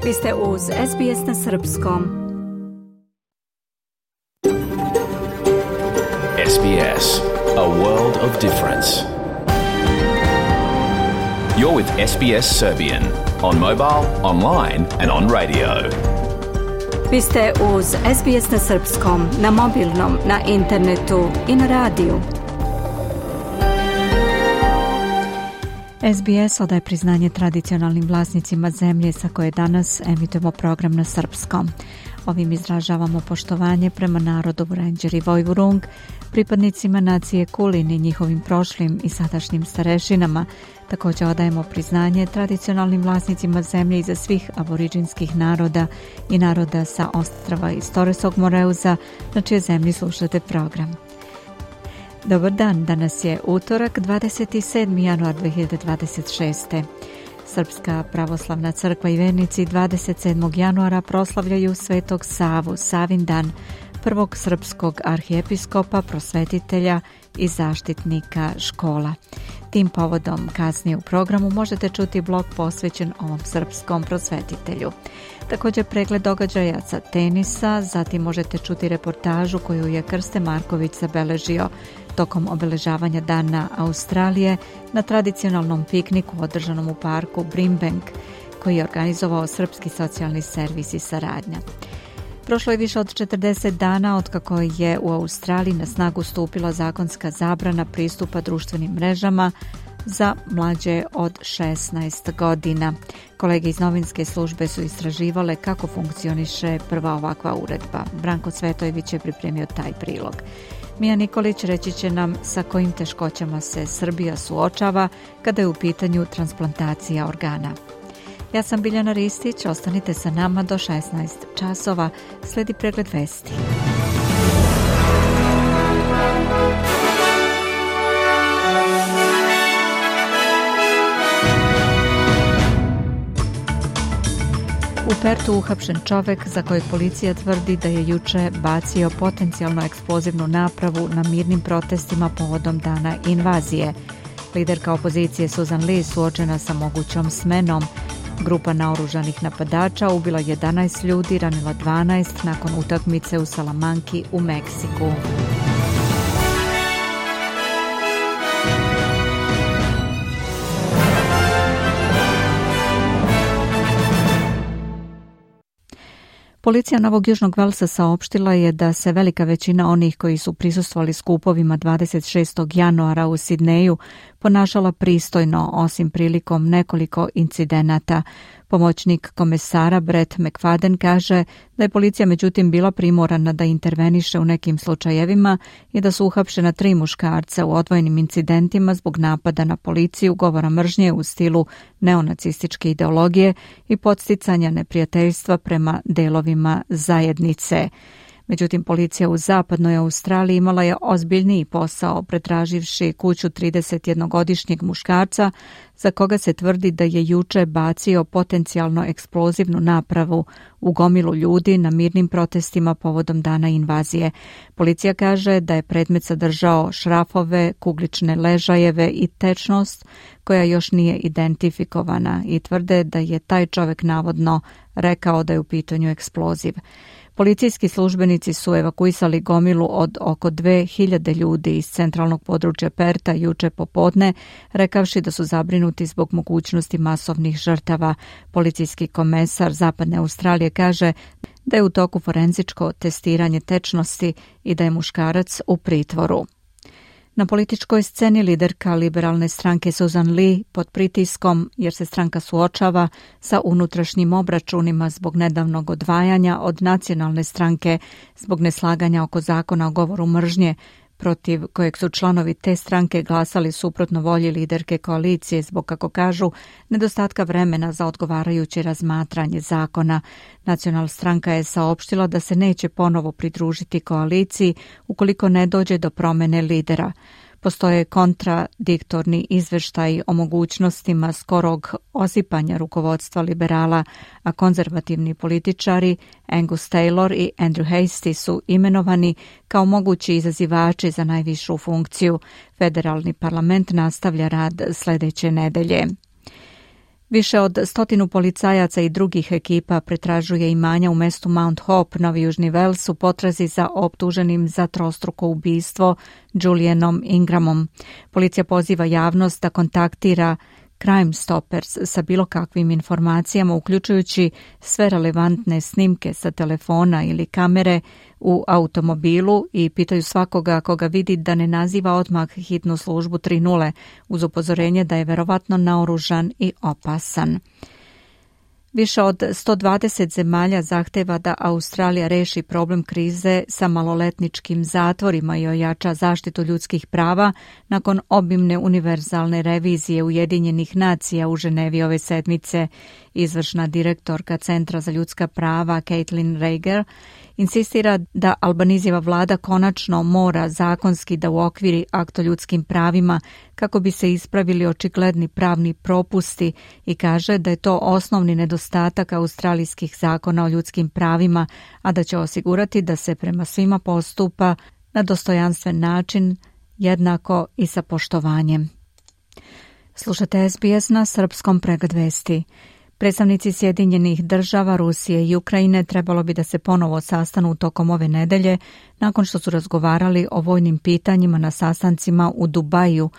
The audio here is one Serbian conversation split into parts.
Vi ste uz SBS na srpskom. SBS, a world of difference. You're with SBS Serbian on mobile, online and on radio. Vi ste uz SBS na srpskom, na mobilnom, na internetu i na radiju. SBS odaje priznanje tradicionalnim vlasnicima zemlje sa koje danas emitujemo program na srpskom. Ovim izražavamo poštovanje prema narodu Vurenđer i Vojvurung, pripadnicima nacije Kulin i njihovim prošlim i sadašnjim starešinama. Također odajemo priznanje tradicionalnim vlasnicima zemlje iza svih aboriđinskih naroda i naroda sa ostrva iz Toresog Moreuza, na čije zemlji slušate program. Dobar dan, danas je utorak, 27. januar 2026. Srpska pravoslavna crkva i vernici 27. januara proslavljaju Svetog Savu, Savin dan, prvog srpskog arhijepiskopa, prosvetitelja i zaštitnika škola. Tim povodom kasnije u programu možete čuti blog posvećen ovom srpskom prosvetitelju. Također pregled događaja sa tenisa, zatim možete čuti reportažu koju je Krste Marković zabeležio tokom obeležavanja Dana Australije na tradicionalnom pikniku održanom u parku Brimbank, koji je organizovao Srpski socijalni servis i saradnja. Prošlo je više od 40 dana otkako je u Australiji na snagu stupila zakonska zabrana pristupa društvenim mrežama za mlađe od 16 godina. Kolege iz novinske službe su istraživale kako funkcioniše prva ovakva uredba. Branko Cvetojević je pripremio taj prilog. Mija Nikolić reći će nam sa kojim teškoćama se Srbija suočava kada je u pitanju transplantacija organa. Ja sam Biljana Ristić, ostanite sa nama do 16 časova, sledi pregled vesti. U Pertu uhapšen čovek za kojeg policija tvrdi da je juče bacio potencijalno eksplozivnu napravu na mirnim protestima povodom dana invazije. Liderka opozicije Susan Lee suočena sa mogućom smenom. Grupa naoružanih napadača ubila 11 ljudi, ranila 12 nakon utakmice u Salamanki u Meksiku. Policija Novog Južnog Velsa saopštila je da se velika većina onih koji su prisustvovali skupovima 26. januara u Sidneju ponašala pristojno, osim prilikom nekoliko incidenata. Pomoćnik komesara Brett McFadden kaže da je policija međutim bila primorana da interveniše u nekim slučajevima i da su uhapšena 3 muškarca u odvojenim incidentima zbog napada na policiju, govora mržnje u stilu neonacističke ideologije i podsticanja neprijateljstva prema delovima zajednice. Međutim, policija u zapadnoj Australiji imala je ozbiljniji posao pretraživši kuću 31-godišnjeg muškarca za koga se tvrdi da je juče bacio potencijalno eksplozivnu napravu u gomilu ljudi na mirnim protestima povodom dana invazije. Policija kaže da je predmet sadržao šrafove, kuglične ležajeve i tečnost koja još nije identifikovana i tvrde da je taj čovjek navodno rekao da je u pitanju eksploziv. Policijski službenici su evakuisali gomilu od oko 2000 ljudi iz centralnog područja Perta juče popodne, rekavši da su zabrinuti zbog mogućnosti masovnih žrtava. Policijski komesar Zapadne Australije kaže da je u toku forenzičko testiranje tečnosti i da je muškarac u pritvoru. Na političkoj sceni liderka liberalne stranke Susan Lee pod pritiskom jer se stranka suočava sa unutrašnjim obračunima zbog nedavnog odvajanja od nacionalne stranke zbog neslaganja oko zakona o govoru mržnje, protiv kojeg su članovi te stranke glasali suprotno volji liderke koalicije zbog, kako kažu, nedostatka vremena za odgovarajuće razmatranje zakona. Nacionalna stranka je saopštila da se neće ponovo pridružiti koaliciji ukoliko ne dođe do promjene lidera. Postoje kontradiktorni izveštaji o mogućnostima skorog osipanja rukovodstva liberala, a konzervativni političari Angus Taylor i Andrew Hastie su imenovani kao mogući izazivači za najvišu funkciju. Federalni parlament nastavlja rad sljedeće nedelje. Više od 100 policajaca i drugih ekipa pretražuje imanja u mestu Mount Hope, Novi Južni Vels, u potrazi za optuženim za trostruko ubistvo Julianom Ingramom. Policija poziva javnost da kontaktira Crime Stoppers sa bilo kakvim informacijama, uključujući sve relevantne snimke sa telefona ili kamere u automobilu, i pitaju svakoga koga vidi da ne naziva odmah hitnu službu 3.0 uz upozorenje da je verovatno naoružan i opasan. Više od 120 zemalja zahteva da Australija reši problem krize sa maloletničkim zatvorima i ojača zaštitu ljudskih prava nakon obimne univerzalne revizije Ujedinjenih nacija u Ženevi ove sedmice. Izvršna direktorka Centra za ljudska prava Caitlin Rager insistira da Albanizijeva vlada konačno mora zakonski da uokviri akt o ljudskim pravima kako bi se ispravili očigledni pravni propusti, i kaže da je to osnovni nedostatak australijskih zakona o ljudskim pravima, a da će osigurati da se prema svima postupa na dostojanstven način, jednako i sa poštovanjem. Slušate SBS na srpskom, pregled vesti. Predstavnici Sjedinjenih država, Rusije i Ukrajine trebalo bi da se ponovo sastanu tokom ove nedelje nakon što su razgovarali o vojnim pitanjima na sastancima u Dubaju,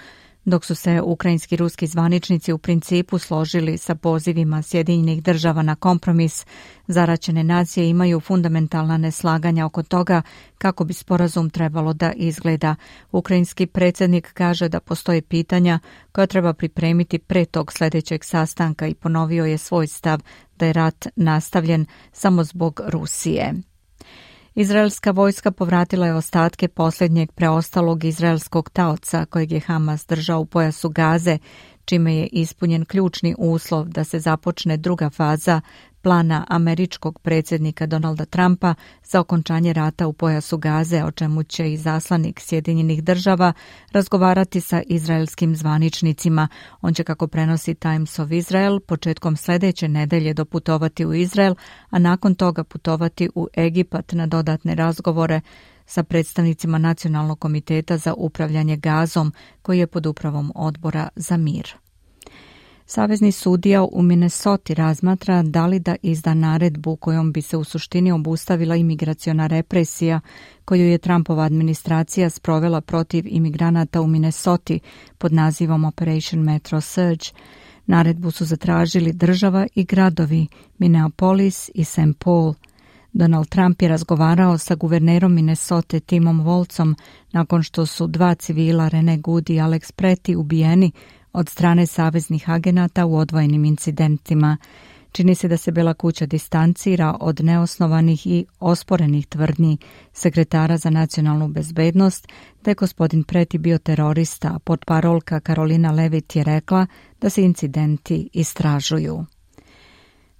dok su se ukrajinski i ruski zvaničnici u principu složili sa pozivima Sjedinjenih država na kompromis. Zaraćene nacije imaju fundamentalna neslaganja oko toga kako bi sporazum trebalo da izgleda. Ukrajinski predsjednik kaže da postoje pitanja koja treba pripremiti pre tog sljedećeg sastanka i ponovio je svoj stav da je rat nastavljen samo zbog Rusije. Izraelska vojska povratila je ostatke posljednjeg preostalog izraelskog taoca kojeg je Hamas držao u pojasu Gaze, čime je ispunjen ključni uslov da se započne druga faza plana američkog predsjednika Donalda Trumpa za okončanje rata u pojasu Gaze, o čemu će izaslanik Sjedinjenih država razgovarati sa izraelskim zvaničnicima. On će, kako prenosi Times of Israel, početkom sljedeće nedelje doputovati u Izrael, a nakon toga putovati u Egipat na dodatne razgovore sa predstavnicima Nacionalnog komiteta za upravljanje Gazom, koji je pod upravom Odbora za mir. Savezni sudija u Minnesoti razmatra da li da izda naredbu kojom bi se u suštini obustavila imigraciona represija koju je Trumpova administracija sprovela protiv imigranata u Minnesoti pod nazivom Operation Metro Surge. Naredbu su zatražili država i gradovi Minneapolis i St. Paul. Donald Trump je razgovarao sa guvernerom Minnesote Timom Wolfom nakon što su 2 civila, Rene Good i Alex Preti, ubijeni od strane saveznih agenata u odvojenim incidentima. Čini se da se Bela kuća distancira od neosnovanih i osporenih tvrdnji sekretara za nacionalnu bezbednost da je gospodin Preti bio terorista, a portparolka Carolina Levitt je rekla da se incidenti istražuju.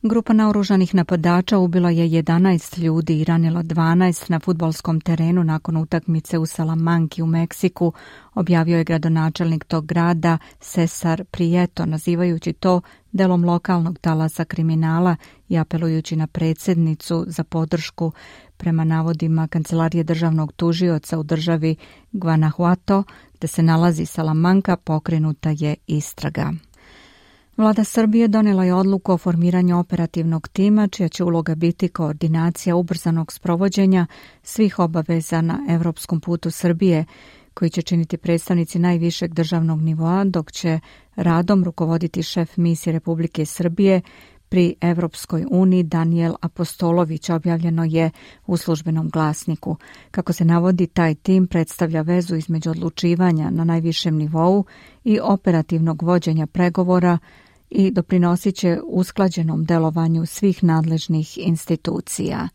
Grupa naoružanih napadača ubila je 11 ljudi i ranila 12 na fudbalskom terenu nakon utakmice u Salamanki u Meksiku, objavio je gradonačelnik tog grada Cesar Prieto, nazivajući to delom lokalnog talasa kriminala i apelujući na predsjednicu za podršku. Prema navodima Kancelarije državnog tužioca u državi Guanajuato, gde se nalazi Salamanka, pokrenuta je istraga. Vlada Srbije donijela je odluku o formiranju operativnog tima, čija će uloga biti koordinacija ubrzanog sprovođenja svih obaveza na evropskom putu Srbije, koji će činiti predstavnici najvišeg državnog nivoa, dok će radom rukovoditi šef misije Republike Srbije pri Evropskoj uniji Daniel Apostolović, objavljeno je u Službenom glasniku. Kako se navodi, taj tim predstavlja vezu između odlučivanja na najvišem nivou i operativnog vođenja pregovora i doprinosit će usklađenom delovanju svih nadležnih institucija.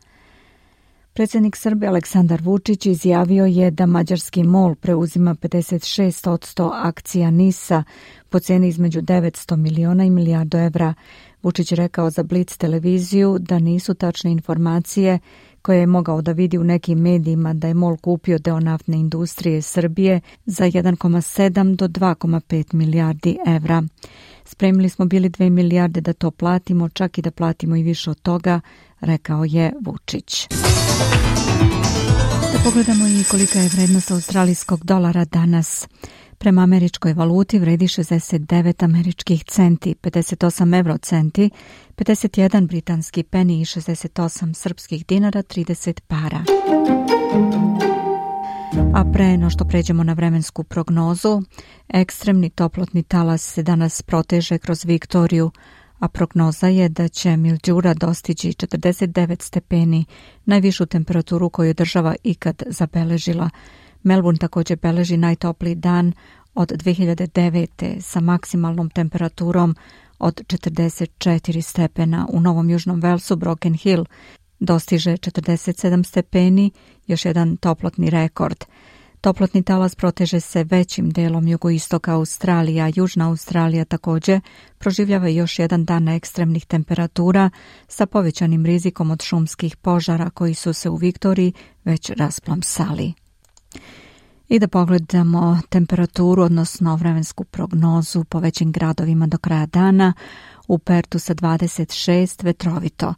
Predsjednik Srbije Aleksandar Vučić izjavio je da mađarski MOL preuzima 56% akcija NIS-a po ceni između 900 miliona i milijardu evra. Vučić rekao za Blic televiziju da nisu tačne informacije koje je mogao da vidi u nekim medijima da je MOL kupio deo naftne industrije Srbije za 1,7 do 2,5 milijardi evra. Spremili smo bili 2 milijarde da to platimo, čak i da platimo i više od toga, rekao je Vučić. Da pogledamo i kolika je vrednost australijskog dolara danas. Prema američkoj valuti vredi 69 američkih centi, 58 eurocenti, 51 britanski peni i 68 srpskih dinara, 30 para. A pre no što pređemo na vremensku prognozu, ekstremni toplotni talas se danas proteže kroz Viktoriju, a prognoza je da će Mildžura dostići 49 stepeni, najvišu temperaturu koju država ikad zabeležila. Melbourne također beleži najtopliji dan od 2009. sa maksimalnom temperaturom od 44 stepena. U Novom Južnom Velsu Broken Hill dostiže 47 stepeni, još jedan toplotni rekord. Toplotni talas proteže se većim delom jugoistoka Australija, Južna Australija također proživljava još jedan dan ekstremnih temperatura sa povećanim rizikom od šumskih požara koji su se u Viktoriji već rasplamsali. I da pogledamo temperaturu, odnosno vremensku prognozu po većim gradovima do kraja dana. U Pertu sa 26 vetrovito,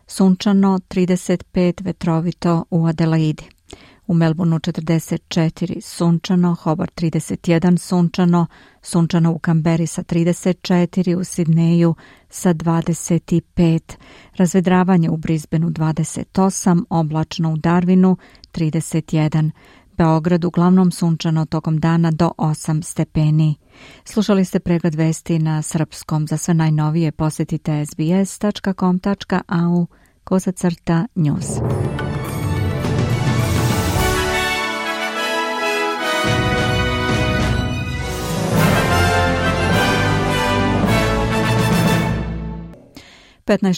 sunčano 35 vetrovito u Adelaidi. U Melbourneu 44 sunčano, Hobart 31 sunčano, sunčano u Kamberi sa 34, u Sidneju sa 25, razvedravanje u Brisbaneu 28, oblačno u Darwinu 31, Beograd uglavnom sunčano tokom dana do 8 stepeni. Slušali ste pregled vesti na srpskom. Za sve najnovije posjetite sbs.com.au/news.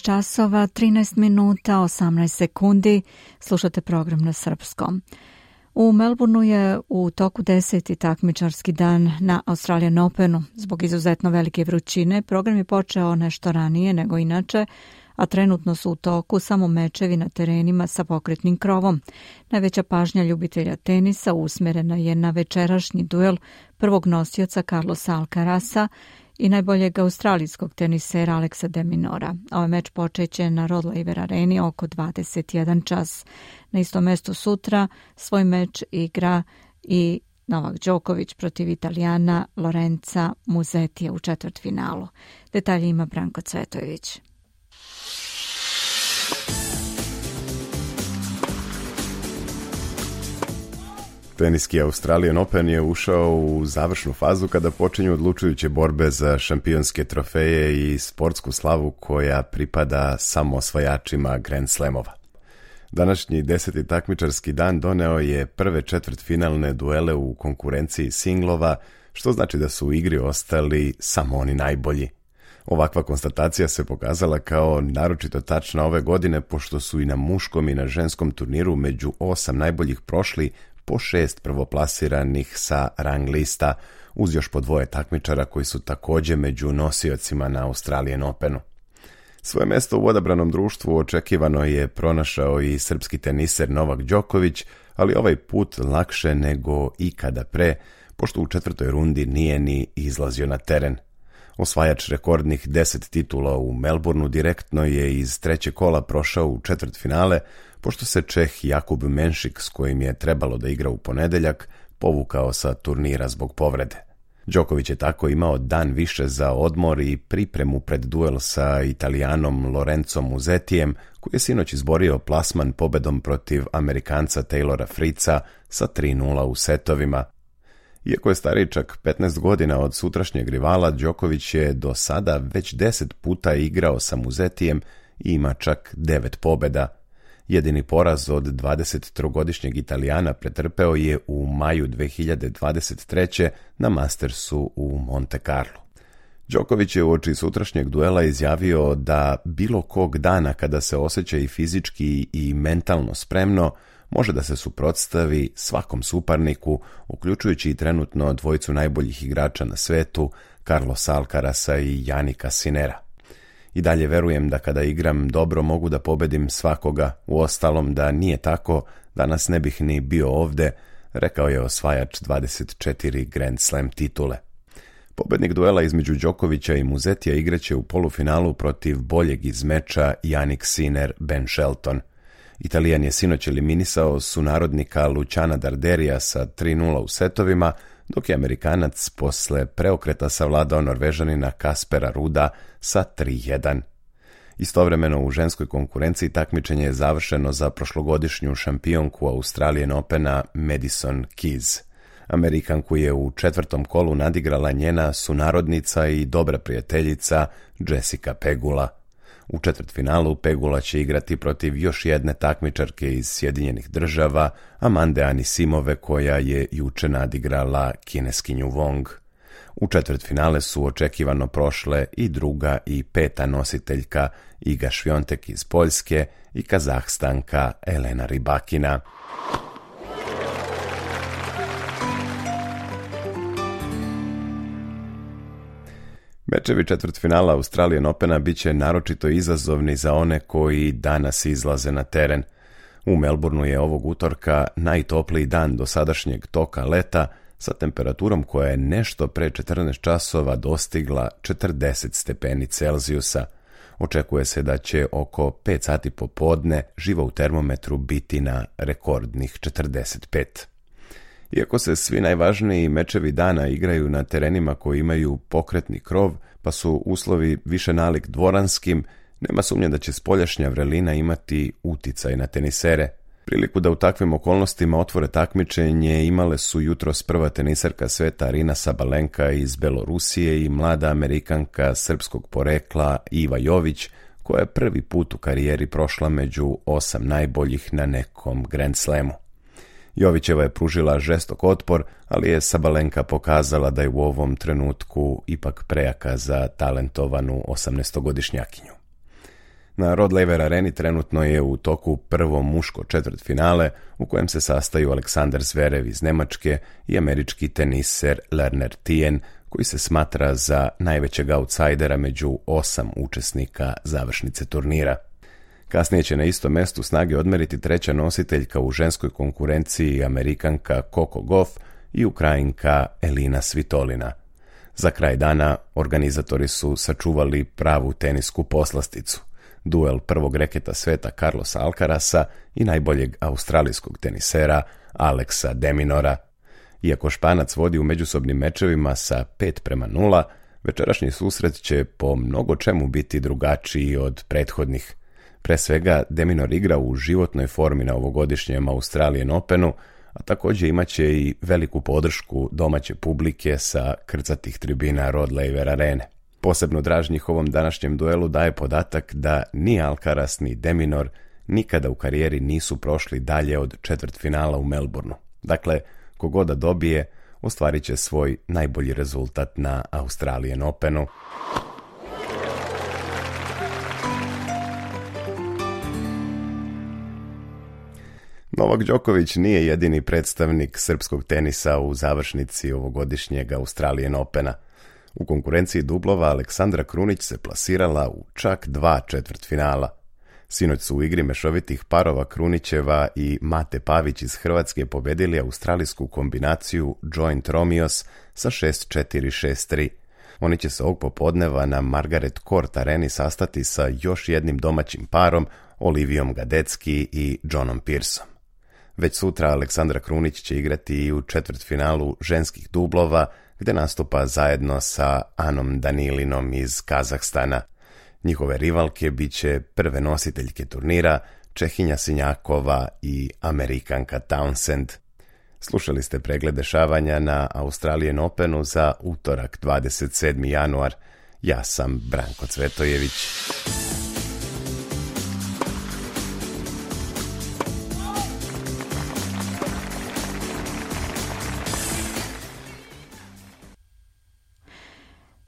časova, 13 minuta, 18 sekundi. Slušate program na srpskom. U Melbourneu je u toku 10. takmičarski dan na Australian Openu. Zbog izuzetno velike vrućine, program je počeo nešto ranije nego inače, a trenutno su u toku samo mečevi na terenima sa pokretnim krovom. Najveća pažnja ljubitelja tenisa usmjerena je na večerašnji duel prvog nosioca Carlosa Alcarasa i najboljeg australijskog tenisera Alexa de Minaura. Ovaj meč počeće na Rod Laver Areni oko 21 čas. Na istom mestu sutra svoj meč igra i Novak Đoković protiv Italijana Lorenza Musettija u četvrtfinalu. Detalje ima Branko Cvetojević. Teniski Australian Open je ušao u završnu fazu kada počinju odlučujuće borbe za šampionske trofeje i sportsku slavu koja pripada samo osvajačima Grand Slamova. Današnji 10. takmičarski dan doneo je prve četvrtfinalne duele u konkurenciji singlova, što znači da su u igri ostali samo oni najbolji. Ovakva konstatacija se pokazala kao naročito tačna ove godine, pošto su i na muškom i na ženskom turniru među 8 najboljih prošli po 6 prvoplasiranih sa rang lista, uz još po 2 takmičara koji su također među nosiocima na Australian Openu. Svoje mesto u odabranom društvu očekivano je pronašao i srpski teniser Novak Đoković, ali ovaj put lakše nego ikada pre, pošto u četvrtoj rundi nije ni izlazio na teren. Osvajač rekordnih 10 titula u Melbourneu direktno je iz trećeg kola prošao u četvrtfinale, pošto se Čeh Jakub Menšik, s kojim je trebalo da igra u ponedeljak, povukao sa turnira zbog povrede. Đoković je tako imao dan više za odmor i pripremu pred duel sa Italijanom Lorenzom Musettijem, koji je sinoć izborio plasman pobedom protiv Amerikanca Taylora Fritza sa 3:0 u setovima. Iako je stariji čak 15 godina od sutrašnjeg rivala, Đoković je do sada već 10 puta igrao sa Musettijem i ima čak 9 pobeda. Jedini poraz od 23-godišnjeg Italijana pretrpeo je u maju 2023. na Mastersu u Monte Carlo. Đoković je uoči sutrašnjeg duela izjavio da bilo kog dana kada se osjeća i fizički i mentalno spremno, može da se suprotstavi svakom suparniku, uključujući i trenutno dvojicu najboljih igrača na svetu, Carlosa Alcarasa i Jannika Sinnera. I dalje verujem da kada igram dobro mogu da pobedim svakoga, uostalom da nije tako, danas ne bih ni bio ovde, rekao je osvajač 24 Grand Slam titule. Pobednik duela između Đokovića i Musettija igraće u polufinalu protiv boljeg iz meča Jannik Sinner Ben Shelton. Italijan je sinoć eliminisao sunarodnika Luciana Darderija sa 3:0 u setovima, dok je Amerikanac posle preokreta savladao Norvežanina Kaspera Ruda sa 3:1. Istovremeno u ženskoj konkurenciji takmičenje je završeno za prošlogodišnju šampionku Australian Opena Madison Keys. Amerikanku je u 4. kolu nadigrala njena sunarodnica i dobra prijateljica Jessica Pegula. U četvrtfinalu Pegula će igrati protiv još jedne takmičarke iz Sjedinjenih Država, Amande Anisimove, koja je juče nadigrala Kineskinju Wong. U četvrtfinale su očekivano prošle i druga i peta nositeljka Iga Šviontek iz Poljske i Kazahstanka Elena Rybakina. Mečevi četvrtfinala Australian Opena bit će naročito izazovni za one koji danas izlaze na teren. U Melbourneu je ovog utorka najtopliji dan do sadašnjeg toka leta, sa temperaturom koja je nešto pre 14 časova dostigla 40 stepeni Celzijusa. Očekuje se da će oko 5 sati popodne živo u termometru biti na rekordnih 45. Iako se svi najvažniji mečevi dana igraju na terenima koji imaju pokretni krov, pa su uslovi više nalik dvoranskim, nema sumnje da će spoljašnja vrelina imati uticaj na tenisere. Priliku da u takvim okolnostima otvore takmičenje imale su jutros prva tenisarka sveta Arina Sabalenka iz Belorusije i mlada Amerikanka srpskog porekla Iva Jović, koja je prvi put u karijeri prošla među 8 najboljih na nekom Grand Slamu. Jovićeva je pružila žestok otpor, ali je Sabalenka pokazala da je u ovom trenutku ipak prejaka za talentovanu 18-godišnjakinju. Na Rod Laver Areni trenutno je u toku prvo muško četvrtfinale u kojem se sastaju Aleksandar Zverev iz Nemačke i američki teniser Lerner Tien, koji se smatra za najvećeg outsidera među 8 učesnika završnice turnira. Kasnije će na istom mestu snage odmeriti treća nositeljka u ženskoj konkurenciji, Amerikanka Coco Gauff i Ukrajinka Elina Svitolina. Za kraj dana organizatori su sačuvali pravu tenisku poslasticu. Duel prvog reketa sveta Carlosa Alcarasa i najboljeg australijskog tenisera Alexa de Minaura. Iako Španac vodi u međusobnim mečevima sa 5:0, večerašnji susret će po mnogo čemu biti drugačiji od prethodnih. Pre svega, de Minaur igra u životnoj formi na ovogodišnjem Australian Openu, a također imaće i veliku podršku domaće publike sa krcatih tribina Rod Laver Arene. Posebno draž njihovom današnjem duelu daje podatak da ni Alcaraz ni de Minaur nikada u karijeri nisu prošli dalje od četvrtfinala u Melbourneu. Dakle, kogoda dobije, ostvarit će svoj najbolji rezultat na Australian Openu. Novak Đoković nije jedini predstavnik srpskog tenisa u završnici ovogodišnjeg Australian Opena. U konkurenciji dublova Aleksandra Krunić se plasirala u čak 2 četvrtfinala. Sinoć su u igri mešovitih parova Krunićeva i Mate Pavić iz Hrvatske pobedili australijsku kombinaciju Joint Romeos sa 6-4, 6-3. Oni će se ovog popodneva na Margaret Court Areni sastati sa još jednim domaćim parom, Olivijom Gadecki i Johnom Pearsom. Već sutra Aleksandra Krunić će igrati i u četvrtfinalu ženskih dublova, gde nastupa zajedno sa Anom Danilinom iz Kazahstana. Njihove rivalke bit će prve nositeljke turnira, Čehinja Sinjakova i Amerikanka Townsend. Slušali ste pregled dešavanja na Australian Openu za utorak 27. januar. Ja sam Branko Cvetojević.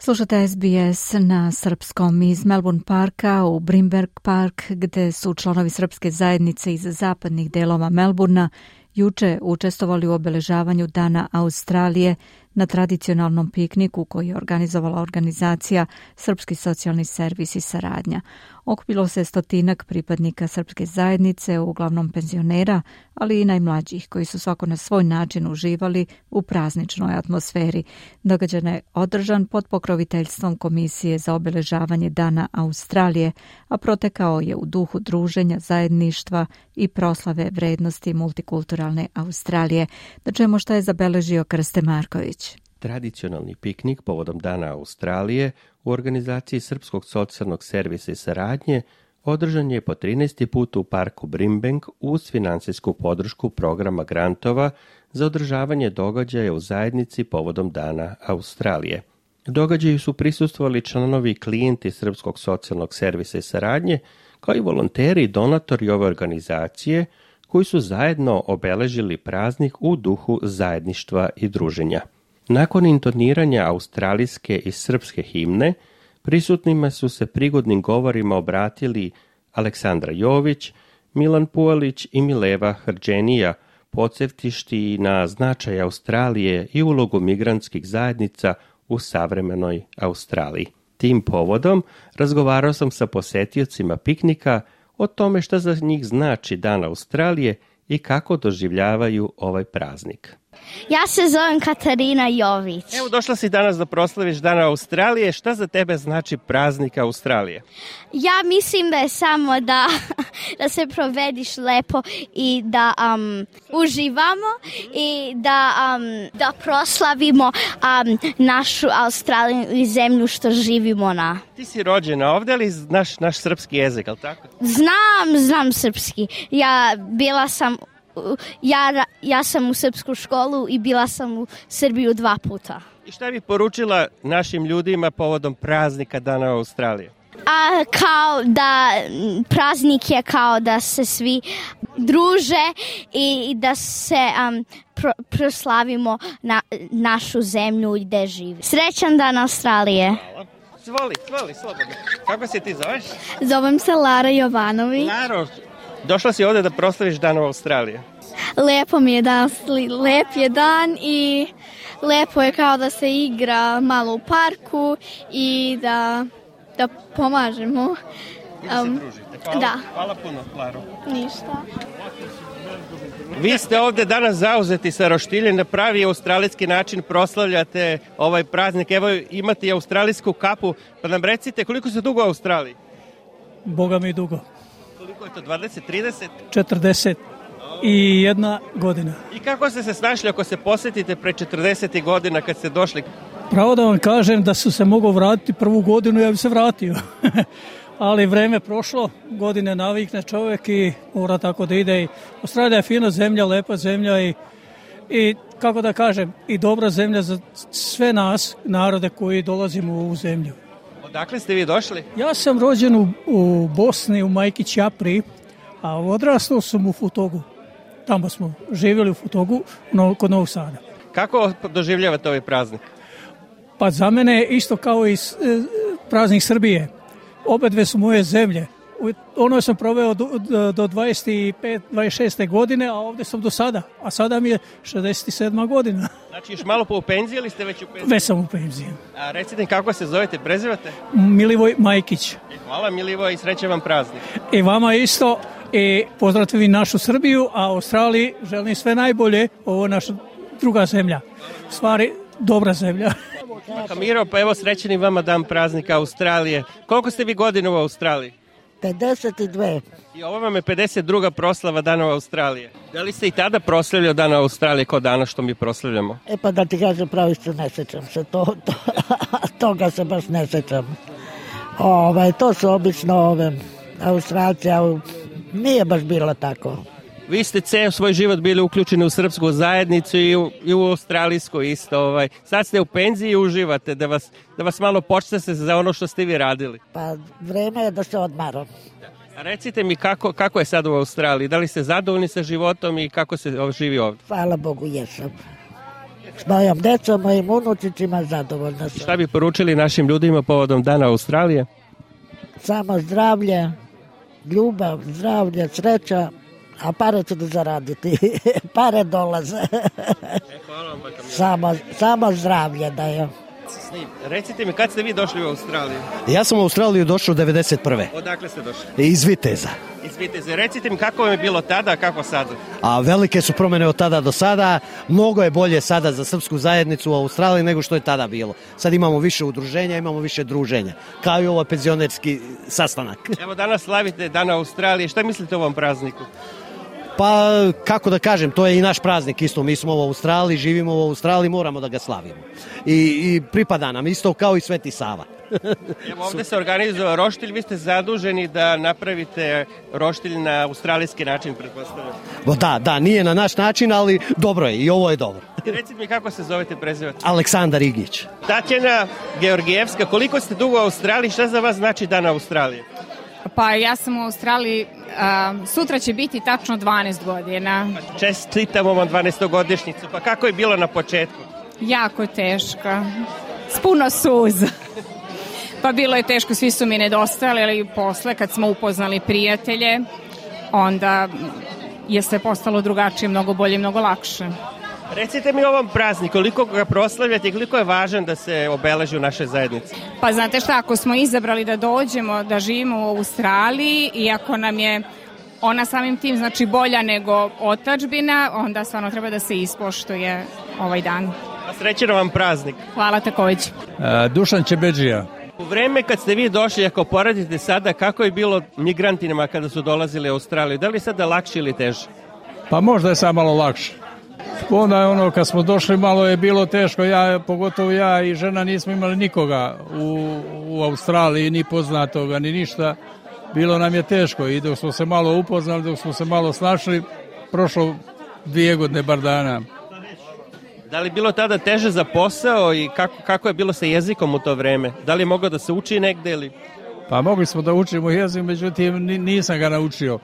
Slušate SBS na srpskom iz Melbourne Parka u Brimberg Park, gde su članovi srpske zajednice iz zapadnih delova Melbournea juče učestvovali u obeležavanju Dana Australije na tradicionalnom pikniku koji je organizovala organizacija Srpski socijalni servis i saradnja. Okupilo se 100 pripadnika srpske zajednice, uglavnom penzionera, ali i najmlađih, koji su svako na svoj način uživali u prazničnoj atmosferi. Događaj je održan pod pokroviteljstvom Komisije za obeležavanje Dana Australije, a protekao je u duhu druženja, zajedništva i proslave vrednosti multikulturalne Australije. Da čujemo šta je zabeležio Krste Marković. Tradicionalni piknik povodom Dana Australije u organizaciji Srpskog socijalnog servisa i saradnje održan je po 13. put u parku Brimbank uz finansijsku podršku programa grantova za održavanje događaja u zajednici povodom Dana Australije. Događaju su prisustvovali članovi i klijenti Srpskog socijalnog servisa i saradnje, kao i volonteri i donatori ove organizacije koji su zajedno obeležili praznik u duhu zajedništva i druženja. Nakon intoniranja australijske i srpske himne, prisutnima su se prigodnim govorima obratili Aleksandra Jović, Milan Pualić i Mileva Hrđenija, podsjetišti na značaj Australije i ulogu migrantskih zajednica u savremenoj Australiji. Tim povodom razgovarao sam sa posetiocima piknika o tome šta za njih znači Dan Australije i kako doživljavaju ovaj praznik. Ja se zovem Katarina Jović. Evo, došla si danas da proslaviš Dan Australije. Šta za tebe znači praznik Australije? Ja mislim da je samo da se provediš lepo i da uživamo i da proslavimo našu Australiju i zemlju što živimo na. Ti si rođena ovdje, ali znaš naš srpski jezik, ali tako? Znam srpski. Ja sam u srpsku školu i bila sam u Srbiju 2 puta. I šta bi poručila našim ljudima povodom praznika Dana Australije? Kao da praznik je kao da se svi druže i da se proslavimo našu zemlju i gde živi. Srećan Dan Australije. Hvala. Zvoli, slobodno. Kako se ti zoveš? Zovem se Lara Jovanović. Laro, došla si ovdje da proslaviš Dan Australije. Lepo mi je danas, lep je dan i lepo je kao da se igra malo u parku i da pomažemo. I da se družite. Hvala puno, Laro. Ništa. Vi ste ovdje danas zauzeti sa roštiljem, na pravi australijski način proslavljate ovaj praznik. Evo imate i australijsku kapu, pa nam recite koliko ste dugo u Australiji? Boga mi dugo. Koliko je to, 20, 30? 41 godina. I kako ste se snašli ako se posjetite pre 40 godina kad ste došli? Pravo da vam kažem da su se mogao vratiti prvu godinu, ja bi se vratio. Ali vreme prošlo, godine navikne čovjek i mora tako da ide. Australija je fina zemlja, lepa zemlja i kako da kažem, i dobra zemlja za sve nas, narode koji dolazimo u ovu zemlju. Odakle ste vi došli? Ja sam rođen u Bosni, u Majki Ćapri, a odrastao sam u Futogu. Tamo smo živjeli u Futogu, kod Novog Sada. Kako doživljavate ovaj praznik? Pa za mene isto kao i praznik Srbije. Obe dve su moje zemlje. Ono sam proveo do 26. godine, a ovdje sam do sada. A sada mi je 67. godina. Znači još malo u penziji ili ste već u penziji? Već sam u penziji. A recite kako se zovete, prezivate? Milivoj Majkić. Hvala Milivoj i srećan vam praznik. I vama isto. I pozdravim našu Srbiju, a Australiji želim sve najbolje. Ovo je naša druga zemlja. U stvari, dobra zemlja. Miro, pa evo srećeni vama dan praznika Australije. Koliko ste vi godina u Australiji? 52. I ovo vam je 52. proslava Dana Australije. Da li ste i tada proslavljali Dana Australije kao danas što mi proslavljamo? Pa da ti kažem pravi što ne sećam se. Toga se baš ne sećam. To su obično Australci, a nije baš bilo tako. Vi ste ceo svoj život bili uključeni u srpsku zajednicu i u australijsku isto. Sad ste u penziji i uživate, da vas malo počne se za ono što ste vi radili. Pa vreme je da se odmaram. A recite mi kako je sad u Australiji? Da li ste zadovoljni sa životom i kako se živi ovdje? Hvala Bogu, jesam. S mojom decom, mojim unučićima zadovoljna sam. Šta bi poručili našim ljudima povodom Dana Australije? Samo zdravlje, ljubav, zdravlje, sreća. A pare ću da zaraditi. Pare dolaze. Hvala vam, samo zdravlje da je. Recite mi, kad ste vi došli u Australiju? Ja sam u Australiju došao 91. Odakle ste došli? Iz Viteza. Iz Viteza. Recite mi, kako vam je bilo tada, a kako sada? A velike su promjene od tada do sada. Mnogo je bolje sada za srpsku zajednicu u Australiji nego što je tada bilo. Sad imamo više udruženja, imamo više druženja. Kao i ovo penzionerski sastanak. Evo danas slavite Dan Australije. Šta mislite o ovom prazniku? Pa, kako da kažem, to je i naš praznik isto. Mi smo u Australiji, živimo u Australiji, moramo da ga slavimo. I pripada nam isto kao i Sveti Sava. Evo ovdje se organizuje roštilj, vi ste zaduženi da napravite roštilj na australijski način, pretpostavljam. Da, nije na naš način, ali dobro je i ovo je dobro. Recite mi kako se zovete, prezivate? Aleksandar Igić. Tatjana Georgijevska, koliko ste dugo u Australiji, šta za vas znači Dan Australije? Pa ja sam u Australiji, sutra će biti tačno 12 godina. Čestitamo vam 12-godišnjicu, pa kako je bilo na početku? Jako teško, s puno suza. Pa bilo je teško, svi su mi nedostajali, ali posle kad smo upoznali prijatelje, onda je sve postalo drugačije, mnogo bolje i mnogo lakše. Recite mi o ovom prazniku, koliko ga proslavljate i koliko je važan da se obeleži u našoj zajednici? Pa znate šta, ako smo izabrali da dođemo, da živimo u Australiji i ako nam je ona samim tim znači bolja nego otadžbina, onda stvarno treba da se ispoštuje ovaj dan. A srećan vam praznik. Hvala također. Dušan Čebedžija. U vreme kad ste vi došli, ako poradite sada, kako je bilo migrantima kada su dolazili u Australiju? Da li je sada lakše ili teže? Pa možda je sad malo lakše. Onda kad smo došli malo je bilo teško, pogotovo ja i žena nismo imali nikoga u Australiji, ni poznatoga, ni ništa. Bilo nam je teško i dok smo se malo upoznali, dok smo se malo snašli, prošlo 2 godine bar dana. Da li bilo tada teže za posao i kako je bilo sa jezikom u to vreme? Da li je moglo da se uči negde ili? Pa mogli smo da učimo jezik, međutim nisam ga naučio.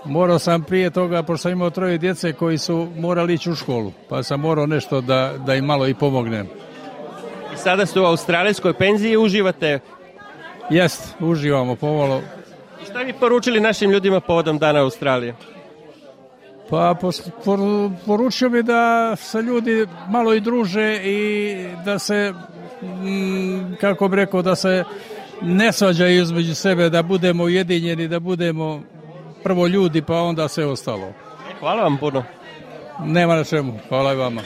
Morao sam prije toga, pošto sam imao 3 djece koji su morali ići u školu, pa sam morao nešto da im malo i pomognem. I sada ste u australijskoj penziji i uživate? Jest, uživamo pomalo. I šta bi poručili našim ljudima povodom Dana Australije? Pa poručio bi da se ljudi malo i druže i da se, kako bi rekao, da se ne svađaju između sebe, da budemo ujedinjeni, da budemo prvo ljudi, pa onda sve ostalo. Hvala vam puno. Nema na čemu, hvala i vama.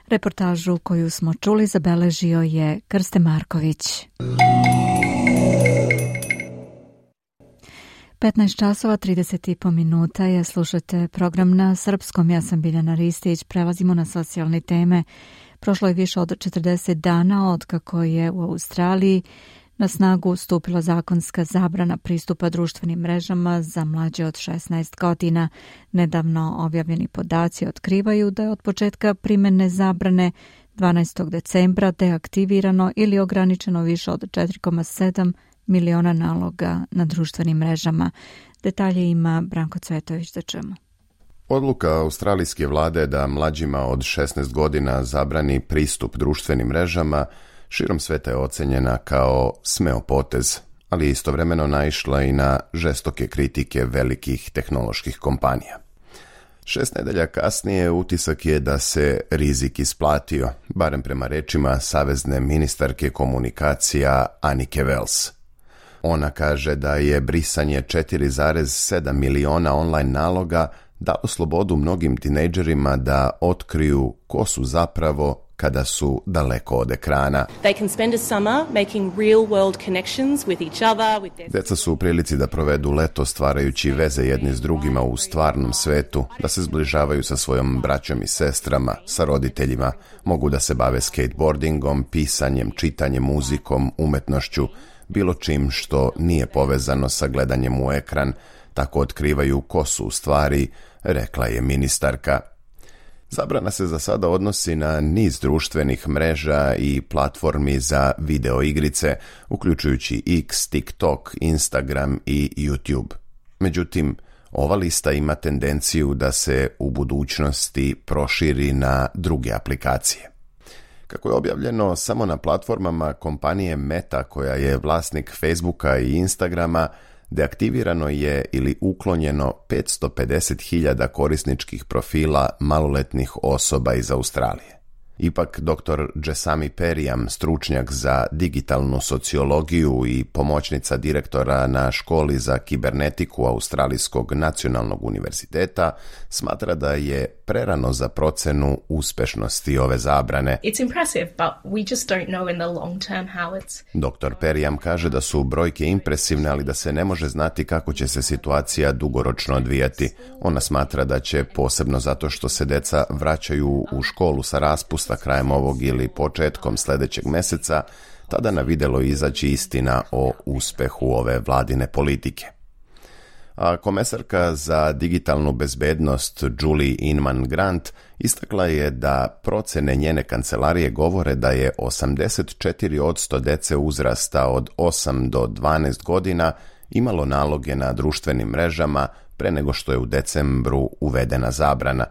Reportažu koju smo čuli zabeležio je Krste Marković. 15 časova 30,5 minuta je, slušate program na srpskom. Ja sam Biljana Ristić. Prelazimo na socijalne teme. Prošlo je više od 40 dana od kako je u Australiji na snagu stupila zakonska zabrana pristupa društvenim mrežama za mlađe od 16 godina. Nedavno objavljeni podaci otkrivaju da je od početka primjene zabrane 12. decembra deaktivirano ili ograničeno više od 4,7 miliona naloga na društvenim mrežama. Detalje ima Branko Cvetović, da čemu. Odluka australijske vlade da mlađima od 16 godina zabrani pristup društvenim mrežama širom sveta je ocenjena kao smeo potez, ali istovremeno naišla i na žestoke kritike velikih tehnoloških kompanija. 6 nedelja kasnije utisak je da se rizik isplatio, barem prema rečima savezne ministarke komunikacija Annike Wells. Ona kaže da je brisanje 4,7 miliona online naloga dalo slobodu mnogim tinejdžerima da otkriju ko su zapravo kada su daleko od ekrana. Deca su u prilici da provedu leto stvarajući veze jedni s drugima u stvarnom svetu, da se zbližavaju sa svojom braćom i sestrama, sa roditeljima, mogu da se bave skateboardingom, pisanjem, čitanjem, muzikom, umetnošću, bilo čim što nije povezano sa gledanjem u ekran, tako otkrivaju ko su u stvari, rekla je ministarka. Zabrana se za sada odnosi na niz društvenih mreža i platformi za video igrice, uključujući X, TikTok, Instagram i YouTube. Međutim, ova lista ima tendenciju da se u budućnosti proširi na druge aplikacije. Kako je objavljeno samo na platformama kompanije Meta, koja je vlasnik Facebooka i Instagrama, deaktivirano je ili uklonjeno 550.000 korisničkih profila maloletnih osoba iz Australije. Ipak, dr. Jesami Periyam, stručnjak za digitalnu sociologiju i pomoćnica direktora na školi za kibernetiku Australijskog nacionalnog univerziteta, smatra da je prerano za procenu uspešnosti ove zabrane. Dr. Periyam kaže da su brojke impresivne, ali da se ne može znati kako će se situacija dugoročno odvijati. Ona smatra da će, posebno zato što se deca vraćaju u školu sa raspusta krajem ovog ili početkom sljedećeg meseca, tada na videlo izaći istina o uspehu ove vladine politike. A komesarka za digitalnu bezbednost Julie Inman Grant istakla je da procene njene kancelarije govore da je 84% dece uzrasta od 8 do 12 godina imalo naloge na društvenim mrežama pre nego što je u decembru uvedena zabrana.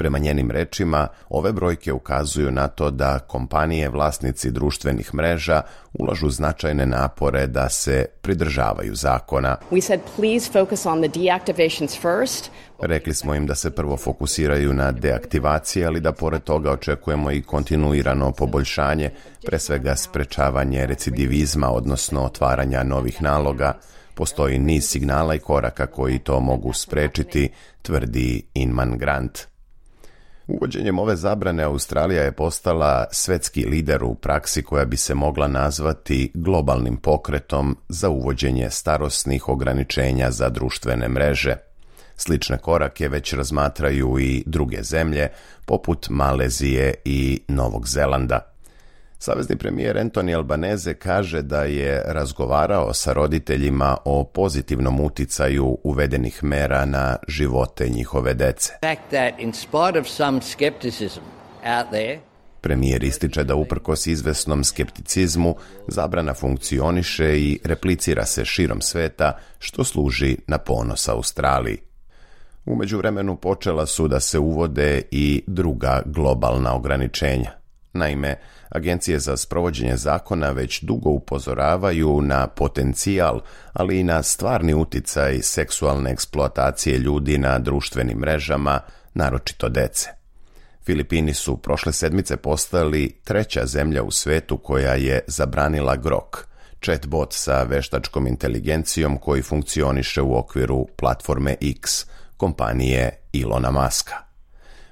Prema njenim rečima, ove brojke ukazuju na to da kompanije vlasnici društvenih mreža ulažu značajne napore da se pridržavaju zakona. Rekli smo im da se prvo fokusiraju na deaktivacije, ali da pored toga očekujemo i kontinuirano poboljšanje, pre svega sprečavanje recidivizma, odnosno otvaranja novih naloga. Postoji niz signala i koraka koji to mogu sprečiti, tvrdi Inman Grant. Uvođenjem ove zabrane Australija je postala svetski lider u praksi koja bi se mogla nazvati globalnim pokretom za uvođenje starosnih ograničenja za društvene mreže. Slične korake već razmatraju i druge zemlje, poput Malezije i Novog Zelanda. Savezni premijer Anthony Albanese kaže da je razgovarao sa roditeljima o pozitivnom uticaju uvedenih mera na živote njihove dece. Premijer ističe da uprkos izvesnom skepticizmu zabrana funkcioniše i replicira se širom sveta, što služi na ponos Australiji. U međuvremenu počela su da se uvode i druga globalna ograničenja. Naime, agencije za sprovođenje zakona već dugo upozoravaju na potencijal, ali i na stvarni uticaj seksualne eksploatacije ljudi na društvenim mrežama, naročito dece. Filipini su prošle sedmice postali treća zemlja u svetu koja je zabranila Grok, chatbot sa veštačkom inteligencijom koji funkcioniše u okviru platforme X, kompanije Ilona Muska.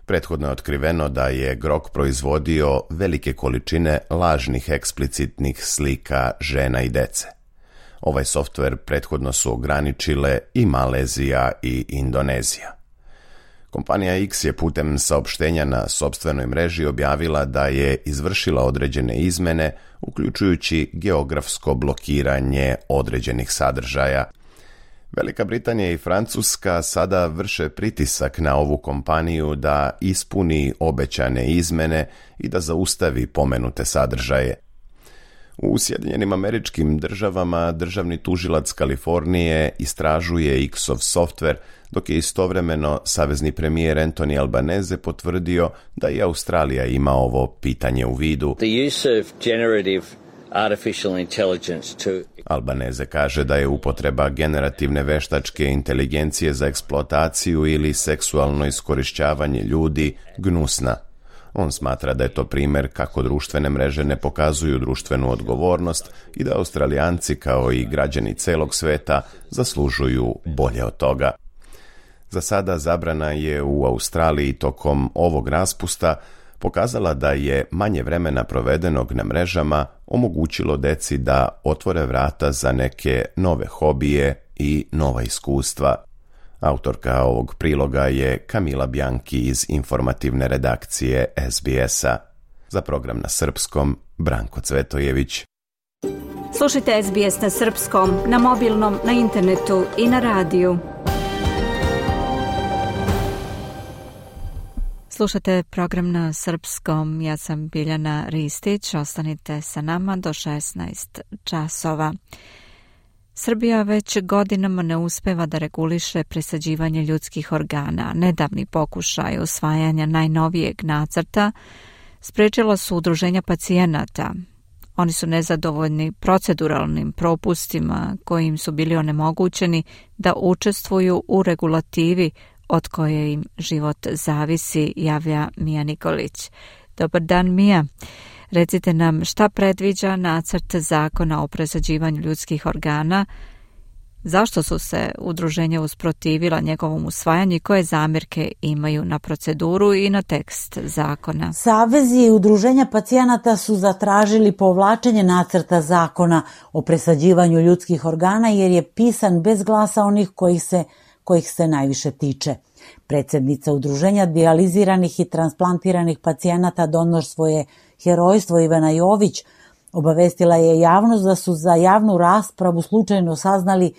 Prethodno je otkriveno da je Grok proizvodio velike količine lažnih eksplicitnih slika žena i dece. Ovaj softver prethodno su ograničile i Malezija i Indonezija. Kompanija X je putem saopštenja na sopstvenoj mreži objavila da je izvršila određene izmene, uključujući geografsko blokiranje određenih sadržaja. Velika Britanija i Francuska sada vrše pritisak na ovu kompaniju da ispuni obećane izmene i da zaustavi pomenute sadržaje. U Sjedinjenim Američkim Državama državni tužilac Kalifornije istražuje X-ov softver, dok je istovremeno savezni premijer Anthony Albanese potvrdio da i Australija ima ovo pitanje u vidu. Albanese kaže da je upotreba generativne veštačke inteligencije za eksploataciju ili seksualno iskorišćavanje ljudi gnusna. On smatra da je to primjer kako društvene mreže ne pokazuju društvenu odgovornost i da Australijanci kao i građani celog sveta zaslužuju bolje od toga. Za sada zabrana je u Australiji tokom ovog raspusta pokazala da je manje vremena provedenog na mrežama omogućilo deci da otvore vrata za neke nove hobije i nova iskustva. Autorka ovog priloga je Kamila Bjanki iz informativne redakcije SBS-a. Za program na srpskom, Branko Cvetojević. Slušajte SBS na srpskom, na mobilnom, na internetu i na radiju. Slušate program na srpskom, ja sam Biljana Ristić, ostanite sa nama do 16 časova. Srbija već godinama ne uspeva da reguliše presađivanje ljudskih organa. Nedavni pokušaj usvajanja najnovijeg nacrta sprečila su udruženja pacijenata. Oni su nezadovoljni proceduralnim propustima kojim su bili onemogućeni da učestvuju u regulativi od koje im život zavisi, javlja Mija Nikolić. Dobar dan, Mija. Recite nam šta predviđa nacrt zakona o presađivanju ljudskih organa, zašto su se udruženja usprotivila njegovom usvajanju i koje zamjerke imaju na proceduru i na tekst zakona. Savezi i udruženja pacijenata su zatražili povlačenje nacrta zakona o presađivanju ljudskih organa jer je pisan bez glasa onih kojih se najviše tiče. Predsjednica udruženja dijaliziranih i transplantiranih pacijenata Donor svoje herojstvo Ivana Jović obavestila je javnost da su za javnu raspravu slučajno saznali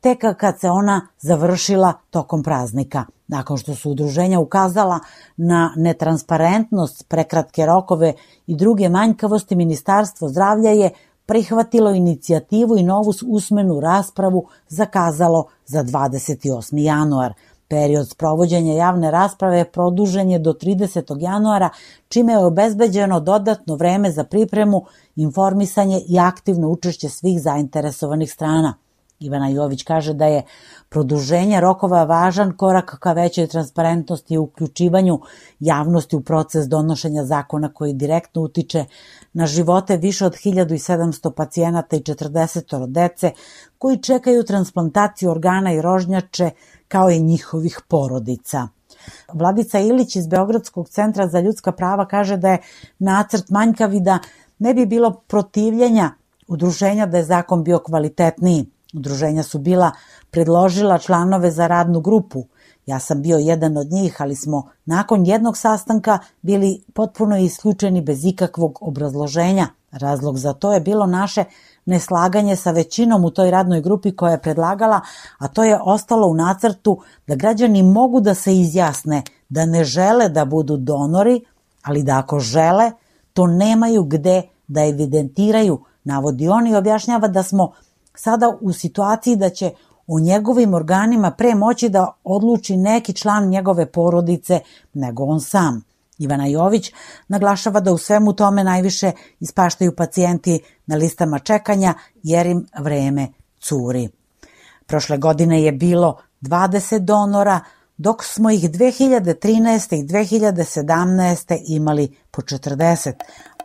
tek kad se ona završila tokom praznika. Nakon što su udruženja ukazala na netransparentnost, prekratke rokove i druge manjkavosti, Ministarstvo zdravlja je prihvatilo inicijativu i novu usmenu raspravu zakazalo za 28. januar. Period sprovođenja javne rasprave produžen je do 30. januara, čime je obezbeđeno dodatno vreme za pripremu, informisanje i aktivno učešće svih zainteresovanih strana. Ivana Jović kaže da je produženje rokova važan korak ka većoj transparentnosti i uključivanju javnosti u proces donošenja zakona koji direktno utiče na živote više od 1700 pacijenata i 40 dece koji čekaju transplantaciju organa i rožnjače kao i njihovih porodica. Vladica Ilić iz Beogradskog centra za ljudska prava kaže da je nacrt manjkav i da ne bi bilo protivljenja udruženja da je zakon bio kvalitetniji. Udruženja su bila predložila članove za radnu grupu. Ja sam bio jedan od njih, ali smo nakon jednog sastanka bili potpuno isključeni bez ikakvog obrazloženja. Razlog za to je bilo naše neslaganje sa većinom u toj radnoj grupi koja je predlagala, a to je ostalo u nacrtu da građani mogu da se izjasne da ne žele da budu donori, ali da ako žele, to nemaju gde da evidentiraju, navodi on i objašnjava da smo sada u situaciji da će o njegovim organima pre moći da odluči neki član njegove porodice nego on sam. Ivana Jović naglašava da u svemu tome najviše ispaštaju pacijenti na listama čekanja jer im vreme curi. Prošle godine je bilo 20 donora, dok smo ih 2013. i 2017. imali po 40,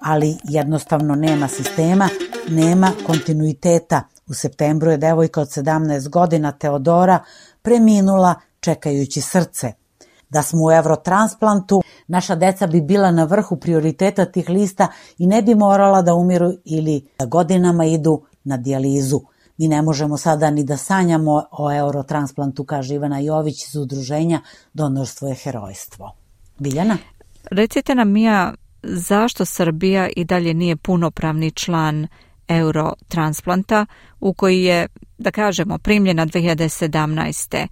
ali jednostavno nema sistema, nema kontinuiteta. U septembru je devojka od 17 godina Teodora preminula čekajući srce. Da smo u Eurotransplantu, naša deca bi bila na vrhu prioriteta tih lista i ne bi morala da umiru ili da godinama idu na dijalizu. Mi ne možemo sada ni da sanjamo o Eurotransplantu, kaže Ivana Jović iz udruženja Donorstvo je herojstvo. Biljana? Recite nam, Mija, zašto Srbija i dalje nije punopravni član Eurotransplanta u koji je, da kažemo, primljena 2017.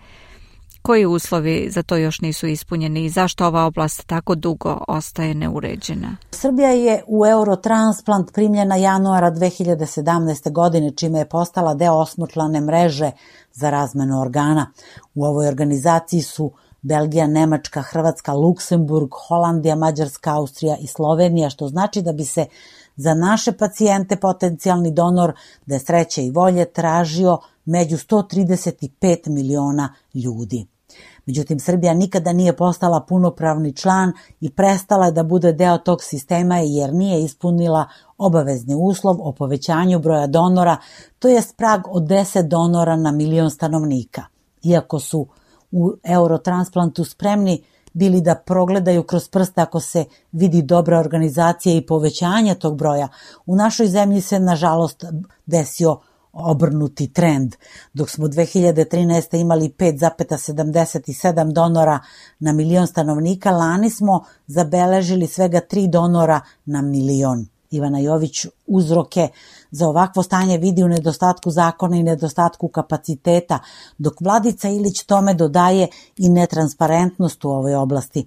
Koji uslovi za to još nisu ispunjeni i zašto ova oblast tako dugo ostaje neuređena? Srbija je u Eurotransplant primljena januara 2017. godine, čime je postala deo osmočlane mreže za razmenu organa. U ovoj organizaciji su Belgija, Nemačka, Hrvatska, Luksemburg, Holandija, Mađarska, Austrija i Slovenija, što znači da bi se za naše pacijente potencijalni donor da je sreće i volje tražio među 135 miliona ljudi. Međutim, Srbija nikada nije postala punopravni član i prestala je da bude deo tog sistema jer nije ispunila obavezni uslov o povećanju broja donora, to je prag od 10 donora na milion stanovnika. Iako su u Eurotransplantu spremni bili da progledaju kroz prste ako se vidi dobra organizacija i povećanje tog broja, u našoj zemlji se nažalost desio obrnuti trend. Dok smo 2013. imali 5,77 donora na milion stanovnika, lani smo zabeležili svega 3 donora na milion. Ivana Jović uzroke za ovakvo stanje vidi u nedostatku zakona i nedostatku kapaciteta, dok Vladica Ilić tome dodaje i netransparentnost u ovoj oblasti.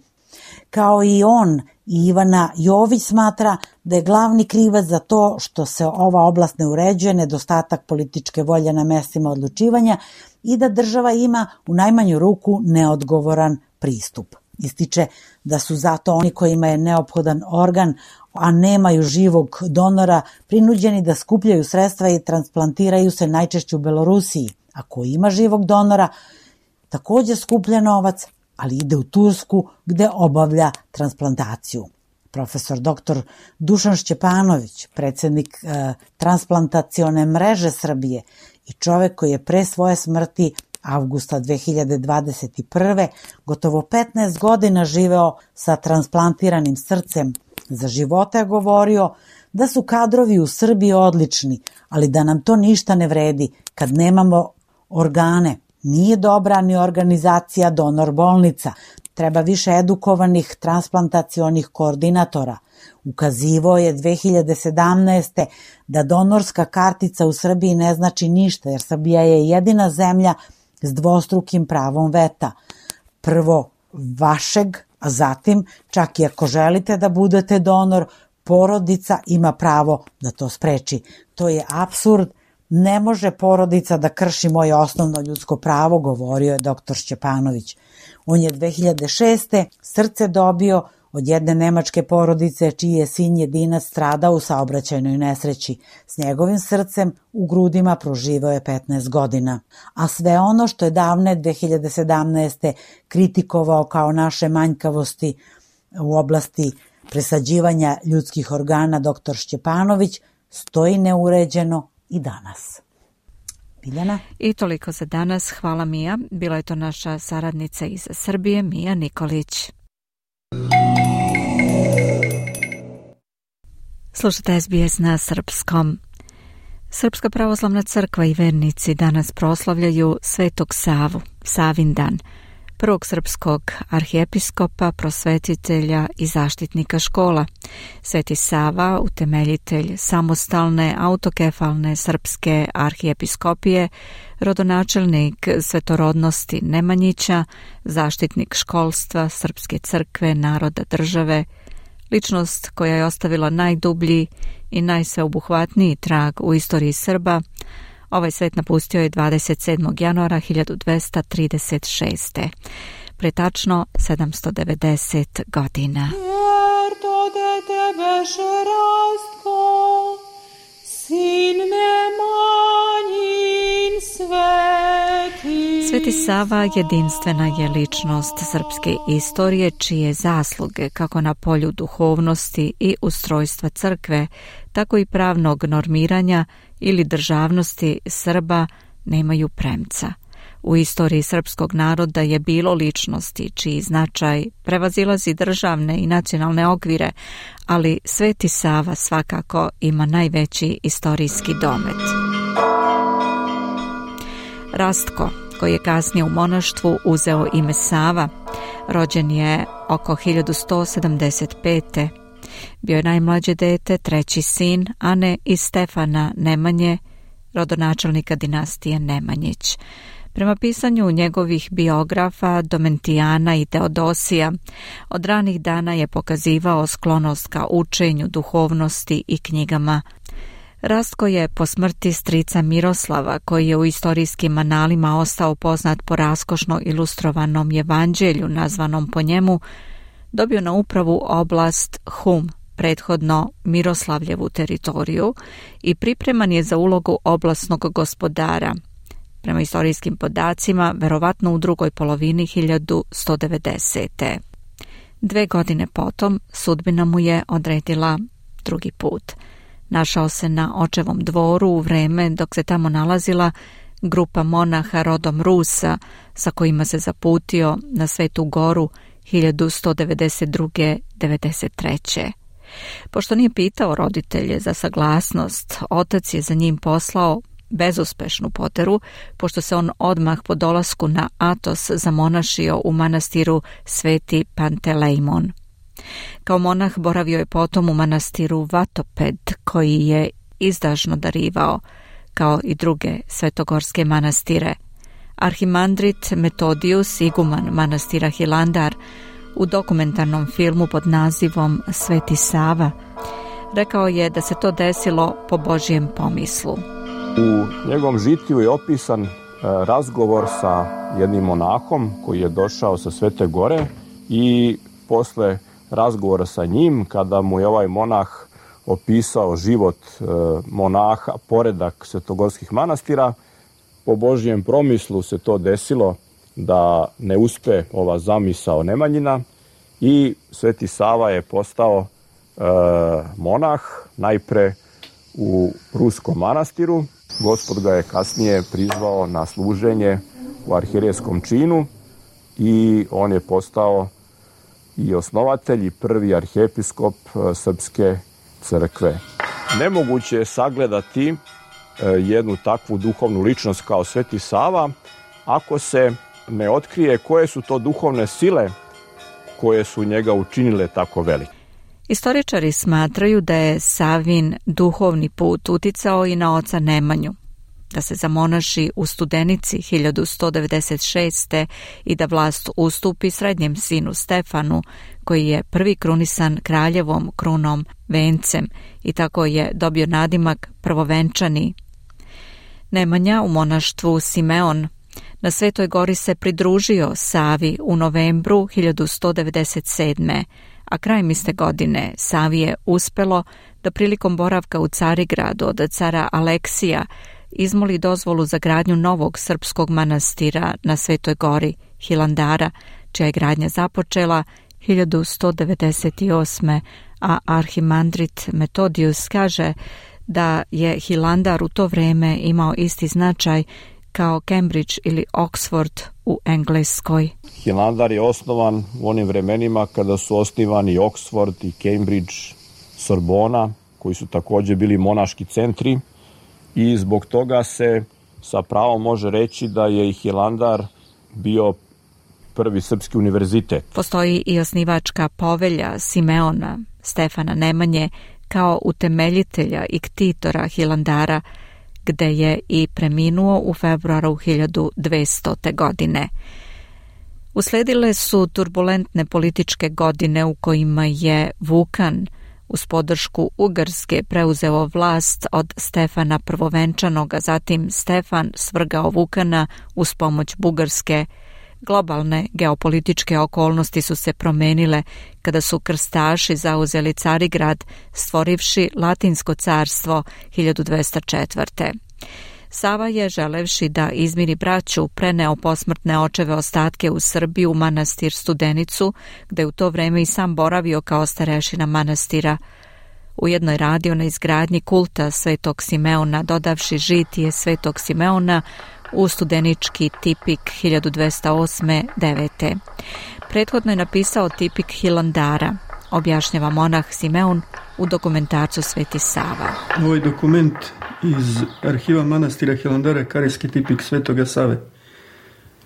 Kao i on, i Ivana Jović smatra da je glavni krivac za to što se ova oblast ne uređuje nedostatak političke volje na mestima odlučivanja i da država ima u najmanju ruku neodgovoran pristup. Ističe da su zato oni kojima je neophodan organ, a nemaju živog donora, prinuđeni da skupljaju sredstva i transplantiraju se najčešće u Belorusiji. Ako ima živog donora, također skuplja novac, ali ide u Tursku gde obavlja transplantaciju. Profesor dr. Dušan Šćepanović, predsjednik transplantacione mreže Srbije i čovek koji je pre svoje smrti avgusta 2021. gotovo 15 godina živeo sa transplantiranim srcem. Za života je govorio da su kadrovi u Srbiji odlični, ali da nam to ništa ne vredi kad nemamo organe. Nije dobra ni organizacija donor bolnica, treba više edukovanih transplantacionih koordinatora. Ukazivao je 2017. da donorska kartica u Srbiji ne znači ništa, jer Srbija je jedina zemlja s dvostrukim pravom veta. Prvo vašeg, a zatim, čak i ako želite da budete donor, porodica ima pravo da to spreči. To je apsurd. Ne može porodica da krši moje osnovno ljudsko pravo, govorio je dr. Šćepanović. On je 2006. srce dobio od jedne nemačke porodice čiji je sin jedinac stradao u saobraćajnoj nesreći. S njegovim srcem u grudima proživao je 15 godina. A sve ono što je davne 2017. kritikovao kao naše manjkavosti u oblasti presađivanja ljudskih organa dr. Šćepanović stoji neuređeno i danas. Biljana? I toliko za danas. Hvala Mija. Bila je to naša saradnica iz Srbije, Mija Nikolić. Slušate SBS na srpskom. Srpska pravoslavna crkva i vernici danas proslavljaju Svetog Savu, Savin dan, prvog srpskog arhijepiskopa, prosvetitelja i zaštitnika škola. Sveti Sava, utemeljitelj samostalne autokefalne srpske arhijepiskopije, rodonačelnik svetorodnosti Nemanjića, zaštitnik školstva, srpske crkve, naroda, države, ličnost koja je ostavila najdublji i najsveobuhvatniji trag u istoriji Srba. Ovaj svet napustio je 27. januara 1236. Pre tačno 790 godina. Sveti Sava jedinstvena je ličnost srpske istorije čije zasluge kako na polju duhovnosti i ustrojstva crkve, tako i pravnog normiranja ili državnosti Srba nemaju premca. U istoriji srpskog naroda je bilo ličnosti čiji značaj prevazilazi državne i nacionalne okvire, ali Sveti Sava svakako ima najveći istorijski domet. Rastko, koji je kasnije u monaštvu uzeo ime Sava, rođen je oko 1175. Bio je najmlađe dete, treći sin Ane i Stefana Nemanje, rodonačelnika dinastije Nemanjić. Prema pisanju njegovih biografa Domentijana i Teodosija, od ranih dana je pokazivao sklonost ka učenju, duhovnosti i knjigama. Rastko je po smrti strica Miroslava, koji je u istorijskim analima ostao poznat po raskošno ilustrovanom evanđelju nazvanom po njemu, dobio na upravu oblast Hum, prethodno Miroslavljevu teritoriju, i pripreman je za ulogu oblasnog gospodara. Prema istorijskim podacima, verovatno u drugoj polovini 1190. 2 godine potom sudbina mu je odredila drugi put. Našao se na očevom dvoru u vreme dok se tamo nalazila grupa monaha rodom Rusa sa kojima se zaputio na Svetu Goru 1192-93. Pošto nije pitao roditelje za saglasnost, otac je za njim poslao bezuspešnu poteru, pošto se on odmah po dolasku na Atos zamonašio u manastiru Sveti Pantelejmon. Kao monah boravio je potom u manastiru Vatoped, koji je izdašno darivao, kao i druge svetogorske manastire. Arhimandrit Metodius, iguman manastira Hilandar, u dokumentarnom filmu pod nazivom Sveti Sava, rekao je da se to desilo po Božjem pomislu. U njegovom žitiju je opisan razgovor sa jednim monahom koji je došao sa Svete Gore i posle razgovora sa njim, kada mu je ovaj monah opisao život monaha, poredak svetogorskih manastira, po Božjem promislu se to desilo da ne uspe ova zamisao Nemanjina i Sveti Sava je postao monah, najpre u ruskom manastiru. Gospod ga je kasnije prizvao na služenje u arhijerejskom činu i on je postao i osnovatelj i prvi arhijepiskop Srpske crkve. Nemoguće je sagledati jednu takvu duhovnu ličnost kao Sveti Sava ako se ne otkrije koje su to duhovne sile koje su njega učinile tako velike. Istoričari smatraju da je Savin duhovni put uticao i na oca Nemanju, da se zamonaši u Studenici 1196. i da vlast ustupi srednjem sinu Stefanu, koji je prvi krunisan kraljevom krunom vencem i tako je dobio nadimak prvovenčani. Nemanja u monaštvu Simeon na Svetoj gori se pridružio Savi u novembru 1197. a krajem iste godine Savi je uspelo da prilikom boravka u Carigradu od cara Aleksija izmoli dozvolu za gradnju novog srpskog manastira na Svetoj gori Hilandara, čija je gradnja započela 1198. a arhimandrit Metodijus kaže da je Hilandar u to vrijeme imao isti značaj kao Cambridge ili Oxford u Engleskoj. Hilandar je osnovan u onim vremenima kada su osnivani Oxford i Cambridge, Sorbona, koji su također bili monaški centri i zbog toga se sa pravom može reći da je i Hilandar bio prvi srpski univerzitet. Postoji i osnivačka povelja Simeona, Stefana Nemanje, kao utemeljitelja i ktitora Hilandara, gde je i preminuo u februaru 1200. godine. Usledile su turbulentne političke godine u kojima je Vukan uz podršku Ugarske preuzeo vlast od Stefana Prvovenčanog, a zatim Stefan svrgao Vukana uz pomoć Bugarske. Globalne geopolitičke okolnosti su se promenile kada su krstaši zauzeli Carigrad, stvorivši Latinsko carstvo 1204. Sava je, želevši da izmiri braću, preneo posmrtne očeve ostatke u Srbiju u manastir Studenicu, gde u to vreme i sam boravio kao starešina manastira. Ujedno je radio na izgradnji kulta Svetog Simeona, dodavši žitije Svetog Simeona u studenički tipik 1208-9. Prethodno je napisao tipik Hilandara, objašnjava monah Simeon u dokumentarcu Sveti Sava. Ovaj dokument iz arhiva manastira Hilandara je karejski tipik Svetoga Save.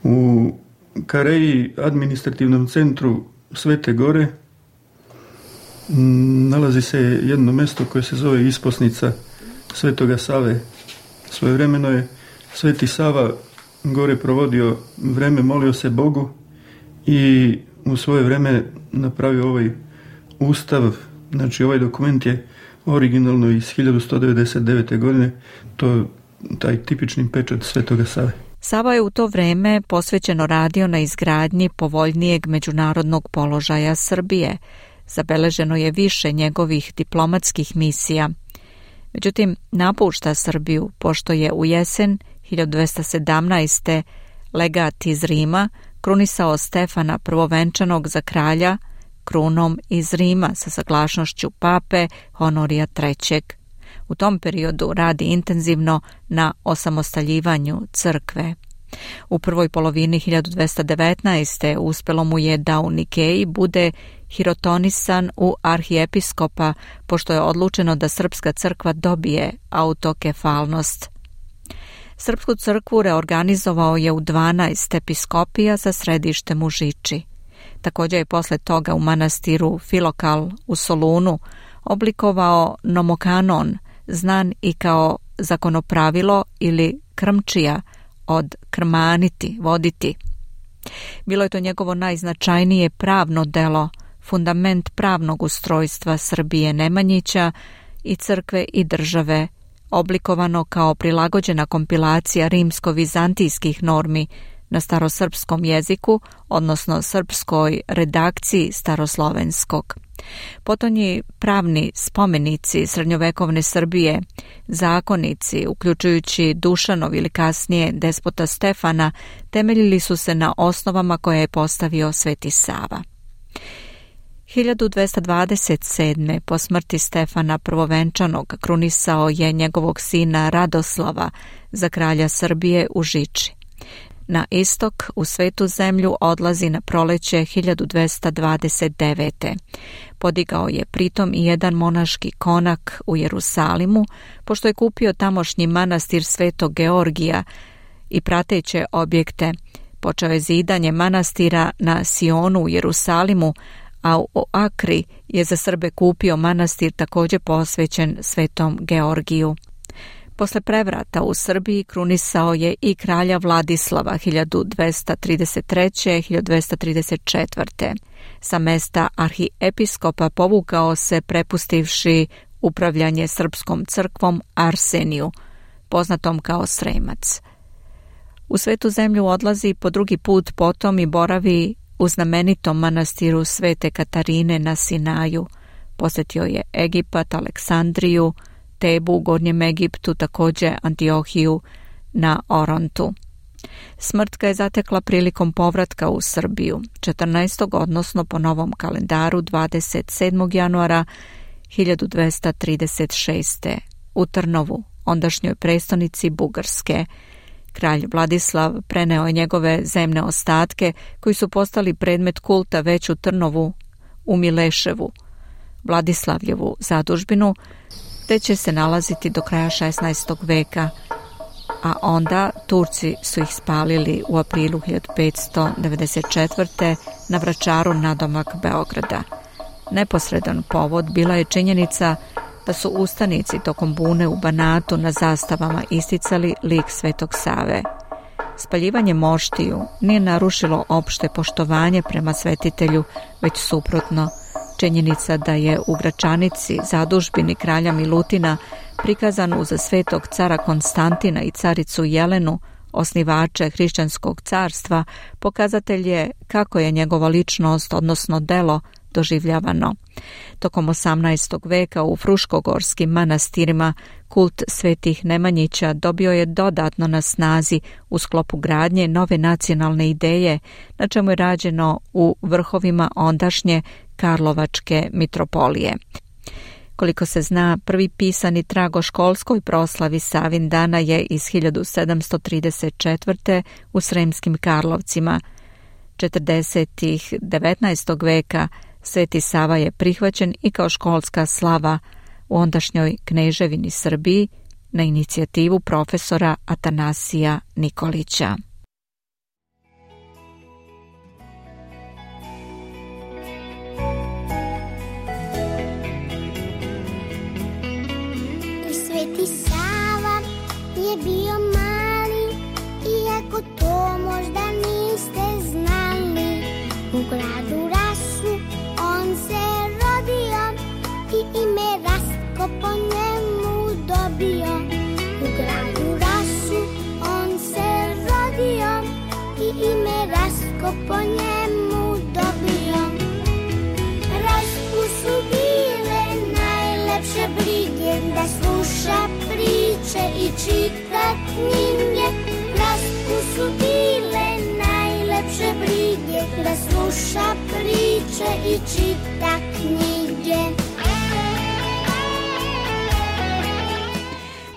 U Kareji, administrativnom centru Svete Gore, nalazi se jedno mesto koje se zove Isposnica Svetoga Save. Svojevremeno je Sveti Sava gore provodio vreme, molio se Bogu i u svoje vreme napravio ovaj ustav. Znači ovaj dokument je originalno iz 1199. godine, to taj tipični pečat Svetoga Save. Sava je u to vreme posvećeno radio na izgradnji povoljnijeg međunarodnog položaja Srbije. Zabeleženo je više njegovih diplomatskih misija. Međutim, napušta Srbiju, pošto je u jesen 1217. legat iz Rima krunisao Stefana Prvovenčanog za kralja krunom iz Rima sa saglasnošću pape Honorija III. U tom periodu radi intenzivno na osamostaljivanju crkve. U prvoj polovini 1219. uspelo mu je da u Nikeji bude hirotonisan u arhijepiskopa, pošto je odlučeno da srpska crkva dobije autokefalnost. Srpsku crkvu reorganizovao je u 12 episkopija sa središtem u Žiči. Također je posle toga u manastiru Filokal u Solunu oblikovao nomokanon, znan i kao zakonopravilo ili krmčija od krmaniti, voditi. Bilo je to njegovo najznačajnije pravno delo, fundament pravnog ustrojstva Srbije Nemanjića i crkve i države, oblikovano kao prilagođena kompilacija rimsko-vizantijskih normi na starosrpskom jeziku, odnosno srpskoj redakciji staroslovenskog. Potonji pravni spomenici srednjovekovne Srbije, zakonici, uključujući Dušanov ili kasnije despota Stefana, temeljili su se na osnovama koje je postavio Sveti Sava. 1227. po smrti Stefana Prvovenčanog krunisao je njegovog sina Radoslava za kralja Srbije u Žiči. Na istok u Svetu zemlju odlazi na proleće 1229. Podigao je pritom i jedan monaški konak u Jerusalimu, pošto je kupio tamošnji manastir Svetog Georgija i prateće objekte. Počeo je zidanje manastira na Sionu u Jerusalimu, a u Akri je za Srbe kupio manastir također posvećen Svetom Georgiju. Posle prevrata u Srbiji krunisao je i kralja Vladislava 1233-1234. Sa mesta arhiepiskopa povukao se prepustivši upravljanje srpskom crkvom Arseniju, poznatom kao Sremac. U Svetu zemlju odlazi po drugi put potom i boravi u znamenitom manastiru Svete Katarine na Sinaju. Posjetio je Egipat, Aleksandriju, Tebu u Gornjem Egiptu, također Antiohiju na Orontu. Smrt ga je zatekla prilikom povratka u Srbiju, 14. odnosno po novom kalendaru 27. januara 1236. u Trnovu, ondašnjoj prestonici Bugarske. Kralj Vladislav preneo je njegove zemne ostatke koji su postali predmet kulta već u Trnovu, u Mileševu, Vladislavljevu zadužbinu, te će se nalaziti do kraja 16. veka, a onda Turci su ih spalili u aprilu 1594. na Vračaru nadomak Beograda. Neposredan povod bila je činjenica da su ustanici tokom bune u Banatu na zastavama isticali lik Svetog Save. Spaljivanje moštiju nije narušilo opšte poštovanje prema svetitelju, već suprotno. Činjenica da je u Gračanici, zadužbini kralja Milutina, prikazan uz Svetog cara Konstantina i caricu Jelenu, osnivače hrišćanskog carstva, pokazatelj je kako je njegova ličnost, odnosno delo, doživljavano. Tokom 18. veka u fruškogorskim manastirima kult svetih Nemanjića dobio je dodatno na snazi u sklopu gradnje nove nacionalne ideje, na čemu je rađeno u vrhovima ondašnje Karlovačke mitropolije. Koliko se zna, prvi pisani trag o školskoj proslavi Savindana je iz 1734. u Sremskim Karlovcima. 40. 19. veka Sveti Sava je prihvaćen i kao školska slava u ondašnjoj kneževini Srbiji na inicijativu profesora Atanasija Nikolića. Sveti Sava je bio mali, iako to možda niste znali. U gradu Rasu on se rodio i ime Rastko po njemu dobio. U gradu Rasu on se rodio i ime Rastko po njemu dobio. Rastku su bile najlepše brige, da sluša priče i čita knjige. Rastku su bile najlepše brige, da sluša priče i čita knjige.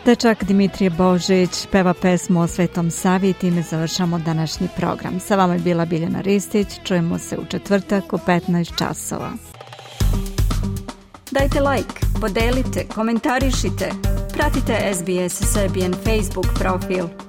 Dečak Dimitrije Božić peva pesmu o Svetom Savi i time završamo današnji program. Sa vama je bila Biljana Ristić, čujemo se u četvrtak u 15 časova. Dajte like, podelite, komentarišite, pratite SBS Serbian Facebook profil.